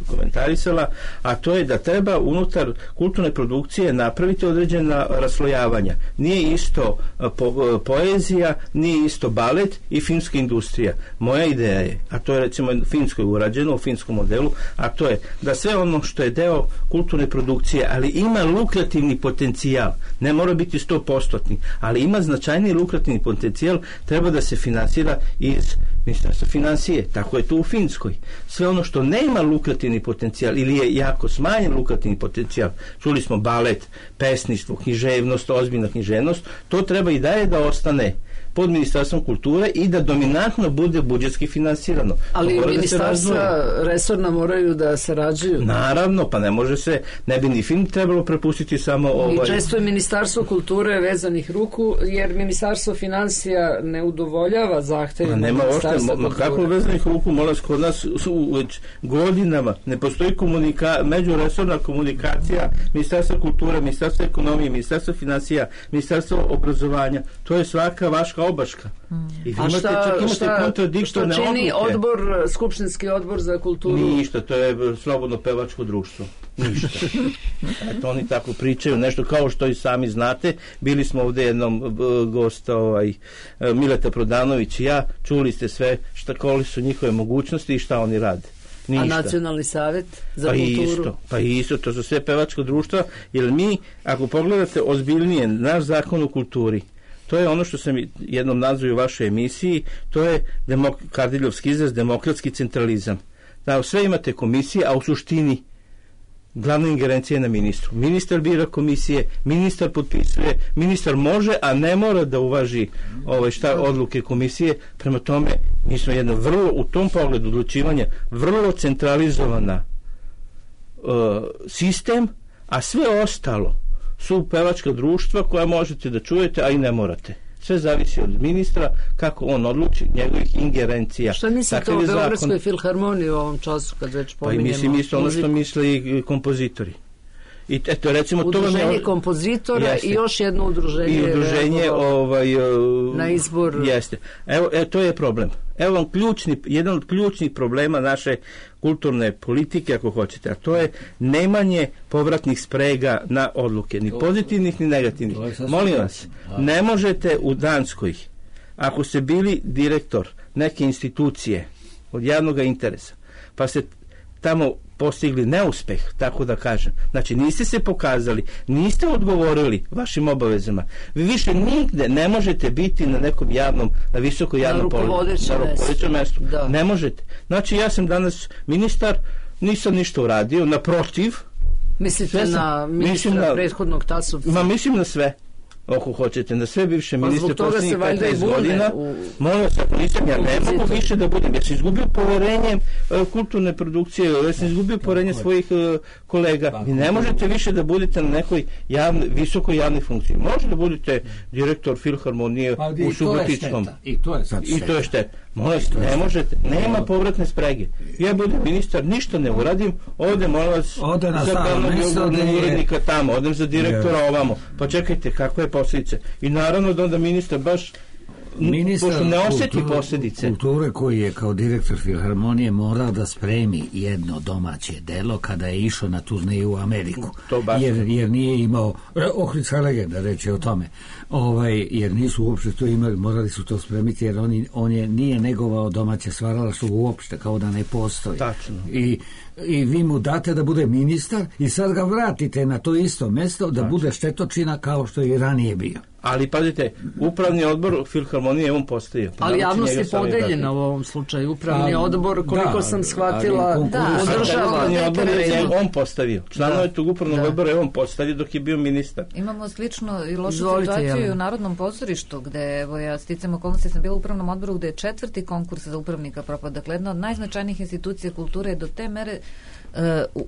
komentarisala, a to je da treba unutar kulturne produkcije napraviti određena raslojavanja. Nije isto uh, po, uh, poezija, nije isto balet i filmska industrija. Moja ideja je, a to je recimo u Finskoj urađeno, u finskom modelu, a to je da sve ono što je deo kulturne produkcije, ali ima lukrativni potencijal, ne mora biti sto posto, ali ima značajni lukrativni potencijal, treba da se finansira iz Ministarstva financije. Tako je to u Finskoj. Sve ono što nema lukrativni potencijal ili je jako smanjen lukrativni potencijal, čuli smo balet, pesništvo, književnost, ozbiljna književnost, to treba i dalje da ostane pod Ministarstvom kulture i da dominantno bude budžetski finansirano. Ali ministarstva da resorna moraju da sarađuju. Naravno, pa ne može se, ne bi ni film trebalo prepustiti samo ovaj... I često je Ministarstvo kulture vezanih ruku, jer Ministarstvo financija ne udovoljava zahtevima Ministarstva kulture. Kako vezanih ruku, molim, kod nas su već godinama ne postoji komunika, međuresorna komunikacija Ministarstva kulture, Ministarstva ekonomije, Ministarstva financija, Ministarstva obrazovanja. To je svaka vaška obaška. Mm. I a šta, čak šta, šta čini odluke. odbor, skupštinski odbor za kulturu? Ništa, to je slobodno pevačko društvo. Ništa. Eto, oni tako pričaju, nešto kao što i sami znate. Bili smo ovde jednom gosta, ovaj, Mileta Prodanović i ja, čuli ste sve šta, koliko su njihove mogućnosti i šta oni rade. Ništa. A Nacionalni savjet za pa kulturu? Isto, pa isto, to su sve pevačko društva, jer mi, ako pogledate ozbiljnije naš zakon o kulturi, to je ono što sam jednom nazvao u vašoj emisiji, to je demok, Kardiljovski izraz, demokratski centralizam. Da, sve imate komisije, a u suštini glavna ingerencija je na ministru. Ministar bira komisije, ministar potpisuje, ministar može, a ne mora da uvaži ovaj, šta odluke komisije. Prema tome, mi smo jedno vrlo, u tom pogledu odlučivanja, vrlo centralizovana uh, sistem, a sve ostalo su pevačka društva koja možete da čujete, a i ne morate. Sve zavisi od ministra, kako on odluči, njegovih ingerencija. Šta mislite o Beogradskoj filharmoniji u ovom času, kad već pominjemo? Pa i mislim isto ono što misle i kompozitori. I eto, recimo, udruženje to kompozitora jeste. I još jedno udruženje. I udruženje ovaj, na izbor. Jeste. Evo, e, to je problem. Evo vam ključni, jedan od ključnih problema naše kulturne politike, ako hoćete, a to je nemanje povratnih sprega na odluke, ni pozitivnih, ni negativnih. Molim vas, ne možete u Danskoj, ako ste bili direktor neke institucije od javnog interesa, pa ste tamo postigli neuspeh, tako da kažem. Znači, niste se pokazali, niste odgovorili vašim obavezama. Vi više nigde ne možete biti na nekom javnom, na visoko javnom položaju. Na rukovodećem mestu. Da. Ne možete. Znači, ja sam danas ministar, nisam ništa uradio, naprotiv. Mislite sam, na ministra na, prethodnog Tasovca? Ma, mislim na sve. Ako hoćete, na sve bivše ministre posljednjih petnaest godina, u... molim se, ako nisam, ja ne mogu više da budem. Ja sam izgubio poverenje uh, kulturne produkcije, ja sam izgubio poverenje svojih uh, kolega. Vi ne možete više da budete na nekoj javne, visokoj javnoj funkciji. Možete da budete direktor filharmonije pa, u Subotičkom. I to je sad I to je šteta. Molim se, ne možete, nema povratne sprege. Ja budem ministar, ništa ne uradim, ovde molim vas ode na za glavnog urednika tamo, odem za direktora ovamo. Pa čekajte, kako je posljedice. I naravno da onda ministar baš ministar pošto ne osjeti kulture, posljedice. Kulture koji je kao direktor Filharmonije morao da spremi jedno domaće delo kada je išao na turneju u Ameriku. Jer, jer nije imao, Ohridska legenda reći o tome, ovaj, jer nisu uopšte to imali, morali su to spremiti jer on, on je nije negovao domaće stvaralaštvo uopšte, kao da ne postoji. Tačno. I i vi mu date da bude ministar i sad ga vratite na to isto mesto da bude štetočina kao što je i ranije bio. Ali pazite, upravni odbor Filharmonije on postavio. Ali javnost je podeljena u ovom slučaju. Upravni a, odbor, koliko da, sam shvatila, da, održava. Upravni odbor je on postavio. Članove tog upravnog da. odbora je on postavio dok je bio ministar. Imamo slično i lošu Zvolite, situaciju jel? u Narodnom pozorištu, gde, evo ja sticam okolnosti, sam bila u upravnom odboru gde je četvrti konkurs za upravnika propao. Dakle, jedna od najznačajnijih institucija kulture je do te mere Uh,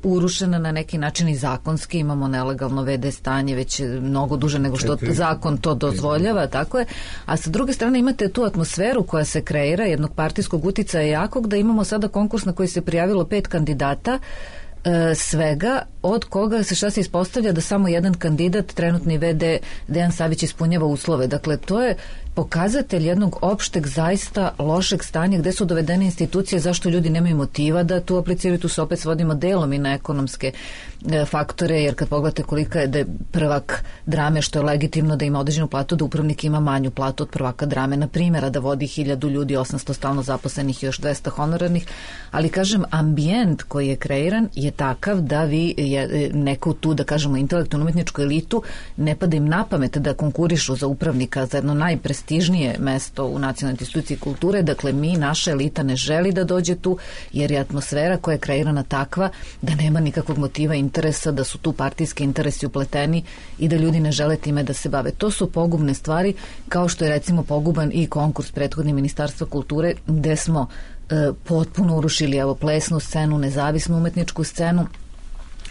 urušena na neki način i zakonski, imamo nelegalno ve de stanje već mnogo duže nego što zakon to dozvoljava, tako je, a sa druge strane imate tu atmosferu koja se kreira jednog partijskog uticaja jakog, da imamo sada konkurs na koji se prijavilo pet kandidata, uh, svega, od koga se šta se ispostavlja da samo jedan kandidat, trenutni ve de Dejan Savić, ispunjava uslove. Dakle, to je pokazatelj jednog opšteg, zaista lošeg stanja gde su dovedene institucije, zašto ljudi nemaju motiva da tu apliciraju, tu se opet svodimo delom i na ekonomske e, faktore, jer kad pogledate kolika je da je prvak drame, što je legitimno da ima određenu platu, da upravnik ima manju platu od prvaka drame, na primjera, da vodi hiljadu ljudi, osamsto stalno zaposlenih i još dvesta honorarnih, ali kažem, ambijent koji je kreiran je takav da vi je, neku tu, da kažemo, intelektualnu umetničku elitu ne pada im na pamet da konkurišu za upravnika za jedno najprestižnije mesto u nacionalnoj instituciji kulture. Dakle, mi, naša elita ne želi da dođe tu, jer je atmosfera koja je kreirana takva da nema nikakvog motiva, interesa, da su tu partijski interesi upleteni i da ljudi ne žele time da se bave. To su pogubne stvari, kao što je recimo poguban i konkurs prethodni Ministarstva kulture, gde smo e, potpuno urušili evo plesnu scenu, nezavisnu umetničku scenu.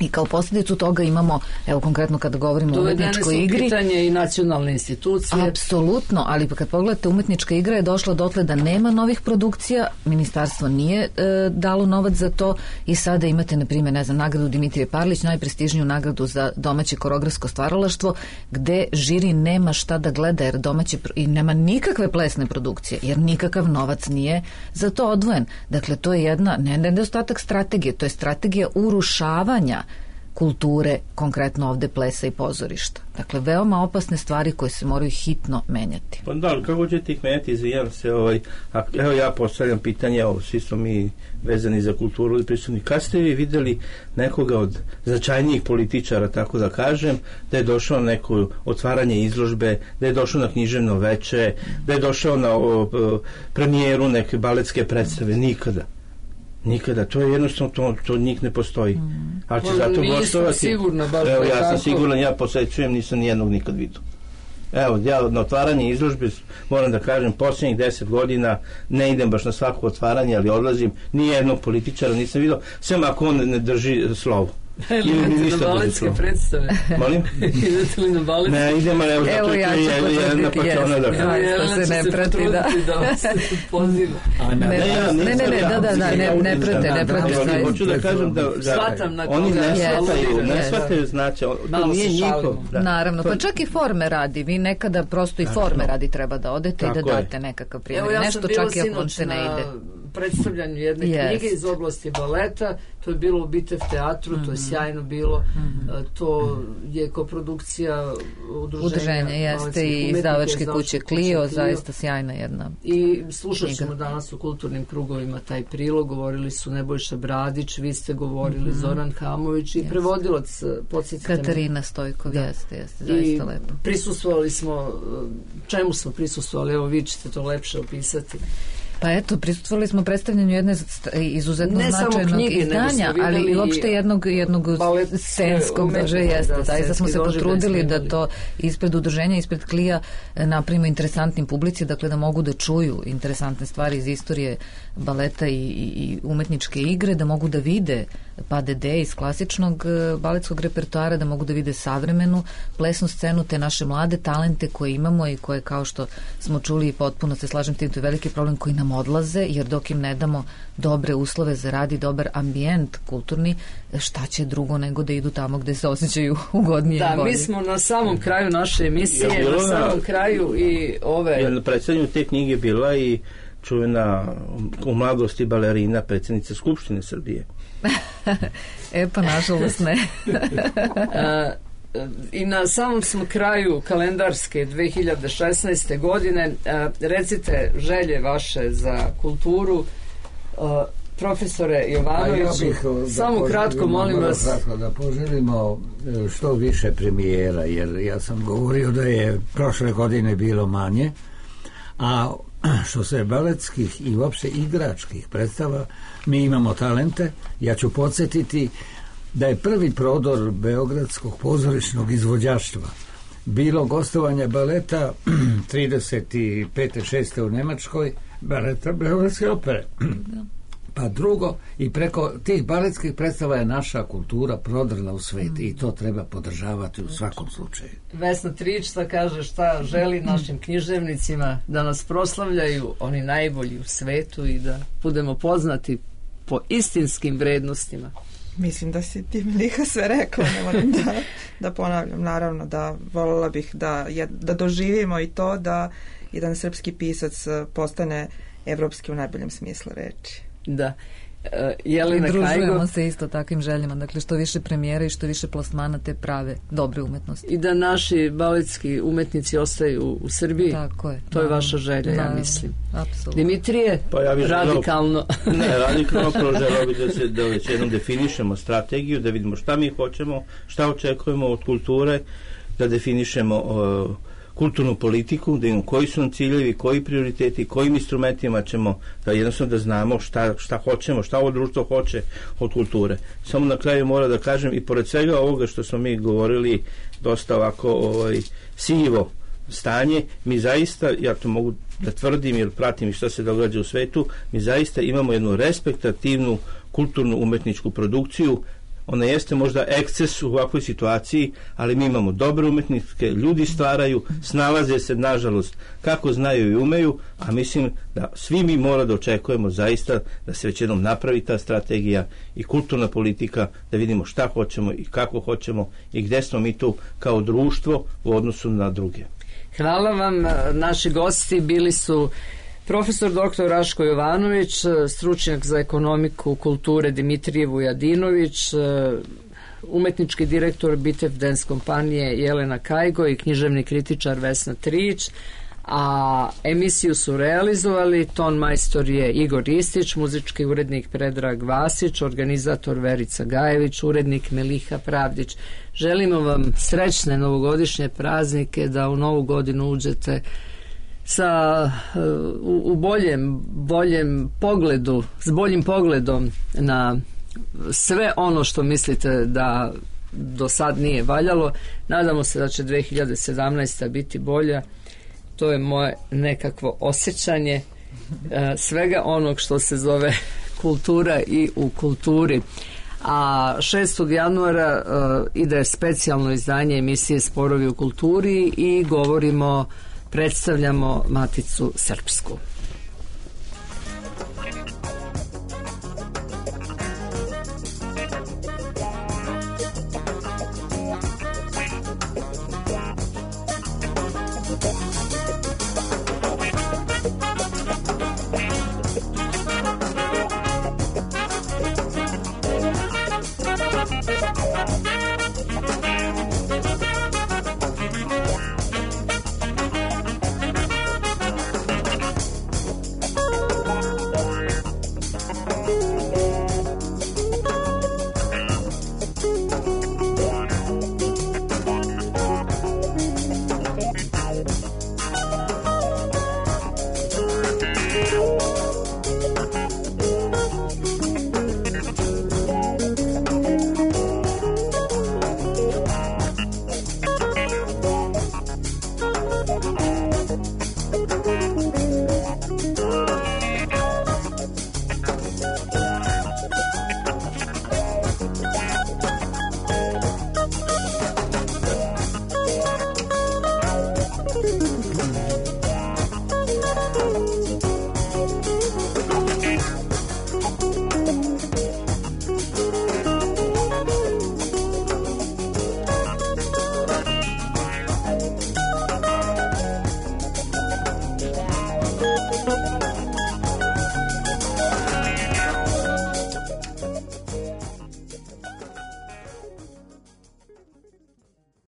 I kao posljedicu toga imamo, evo konkretno kada govorimo o umetničkoj igri... Dovedene su pitanje i nacionalne institucije. Apsolutno, ali kad pogledate, umetnička igra je došla dotle da nema novih produkcija, ministarstvo nije e, dalo novac za to i sada imate, na primjer, ne znam, nagradu Dimitrije Parlić, najprestižniju nagradu za domaće koreografsko stvaralaštvo, gde žiri nema šta da gleda, jer domaće i nema nikakve plesne produkcije, jer nikakav novac nije za to odvojen. Dakle, to je jedna, ne nedostatak strategije, to je strategija urušavanja kulture, konkretno ovde plesa i pozorišta. Dakle, veoma opasne stvari koje se moraju hitno menjati. Pa da, kako ćete ih menjati, izvijam se, ovaj, a, evo ja postavljam pitanje, evo, svi smo mi vezani za kulturu ili prisutni. Kad ste vi videli nekoga od značajnijih političara, tako da kažem, da je došao na neko otvaranje izložbe, da je došao na književno veče, da je došao na o, o, premijeru neke baletske predstave? Nikada. Nikada, to je jednostavno, to, to njih ne postoji. Mm. Ali će zato gostovati. Sigurno, evo, ja sam siguran, ja posećujem, nisam nijednog nikad vidio. Evo, ja na otvaranje izložbe, moram da kažem, posljednjih deset godina ne idem baš na svako otvaranje, ali odlazim, nijednog političara nisam vidio, sem ako on ne drži slovo. Idete na baletske predstave? Molim? Idete li na baletske? Ne, idem, ali evo, zato ja je jedna pačona da kažem. Evo, se ne prati, da. da vas se poziva. Ne, ne, ne, da, da, da, ne prate, ne prate. Hoću da kažem da oni ne shvataju, ne shvataju znači, to nije njihov. Naravno, pa čak i forme radi, vi nekada prosto i forme radi treba da odete i da date nekakav primjer. Nešto čak i ako se ne ide. Predstavljanju jedne yes. knjige iz oblasti baleta, to je bilo u Bitev teatru, mm-hmm. to je sjajno bilo, mm-hmm. to je koprodukcija udruženja, udruženja jeste i izdavačke kuće Clio, zaista sjajna jedna i slušat ćemo danas u kulturnim krugovima taj prilog, govorili su Nebojša Bradić, vi ste govorili mm-hmm. Zoran Hamović i yes. prevodilac, podsjetite Katarina Stojkov, da. jeste, jeste, zaista lepo. I prisustvovali smo, čemu smo prisustvovali, evo vi ćete to lepše opisati. Pa eto, prisustvovali smo predstavljanju jedne izuzetno ne značajnog knjige, izdanja, ali i uopšte jednog, jednog scenskog, že jeste. Zaista smo se potrudili da to ispred udruženja, ispred Klija napravimo interesantnim publici, dakle da mogu da čuju interesantne stvari iz istorije baleta i, i umetničke igre, da mogu da vide pa de de iz klasičnog baletskog repertoara, da mogu da vide savremenu plesnu scenu, te naše mlade talente koje imamo i koje, kao što smo čuli, potpuno se slažem tim, to je veliki problem koji nam nam odlaze, jer dok im ne damo dobre uslove za rad i dobar ambijent kulturni, šta će drugo nego da idu tamo gde se osjećaju ugodnije da, i bolje. Mi smo na samom kraju naše emisije, ja, na samom kraju i ove... Ja, na predstavljanju te knjige bila i čuvena u mladosti balerina, predsjednica Skupštine Srbije. E pa nažalost ne. A, i na samom smo kraju kalendarske dve hiljade šesnaeste godine. A, recite želje vaše za kulturu, a, profesore Jovanović. Ja samo kratko molim vas kratko, da poželimo što više premijera, jer ja sam govorio da je prošle godine bilo manje, a što se baletskih i uopšte igračkih predstava, mi imamo talente. Ja ću podsjetiti da je prvi prodor beogradskog pozorišnog izvođaštva bilo gostovanje baleta trideset pete šeste u Nemačkoj, baleta Beogradske opere. Pa drugo, i preko tih baletskih predstava je naša kultura prodrla u svet i to treba podržavati u svakom slučaju. Vesna Trić šta kaže, šta želi našim književnicima da nas proslavljaju oni najbolji u svetu i da budemo poznati po istinskim vrednostima. Mislim da si ti Miliha sve rekla, ne moram da, da ponavljam. Naravno da voljela bih da, da doživimo i to da jedan srpski pisac postane evropski u najboljem smislu reči. Da. Jelena Družujemo Kajgo. se isto takvim željama, dakle što više premijera i što više plasmana te prave dobre umetnosti. I da naši baletski umetnici ostaju u Srbiji. Tako je. To je vaša želja, ja mislim. Apsolutno. Dimitrije, pa ja radikalno. Želao, ne, radikalno želao bi da se da već jednom definišemo strategiju, da vidimo šta mi hoćemo, šta očekujemo od kulture, da definišemo uh, kulturnu politiku, da vidimo koji su nam ciljevi, koji prioriteti, kojim instrumentima ćemo, da jednostavno da znamo šta, šta hoćemo, šta ovo društvo hoće od kulture. Samo na kraju mora da kažem, i pored svega ovoga što smo mi govorili, dosta ovako ovaj, sivo stanje, mi zaista, ja to mogu da tvrdim jer pratim i što se događa u svetu, mi zaista imamo jednu respektativnu kulturnu umetničku produkciju. Ona jeste možda eksces u ovakvoj situaciji, ali mi imamo dobre umetnike, ljudi stvaraju, snalaze se, nažalost, kako znaju i umeju, a mislim da svi mi mora da očekujemo zaista da se već jednom napravi ta strategija i kulturna politika, da vidimo šta hoćemo i kako hoćemo i gde smo mi tu kao društvo u odnosu na druge. Hvala vam. Naši gosti bili su profesor doktor Raško Jovanović, stručnjak za ekonomiku kulture Dimitrije Vujadinović, umetnički direktor Bitev Dance kompanije Jelena Kajgo i književni kritičar Vesna Trić, a emisiju su realizovali ton majstor je Igor Istić, muzički urednik Predrag Vasić, organizator Verica Gajević, urednik Miliha Pravdić. Želimo vam srećne novogodišnje praznike, da u novu godinu uđete sa u, u boljem, boljem pogledu, s boljim pogledom na sve ono što mislite da do sad nije valjalo. Nadamo se da će dve hiljade sedamnaesta biti bolja. To je moje nekakvo osjećanje e, svega onog što se zove kultura i u kulturi. A šestog januara e, ide specijalno izdanje emisije Sporovi u kulturi i govorimo, predstavljamo Maticu Srpsku.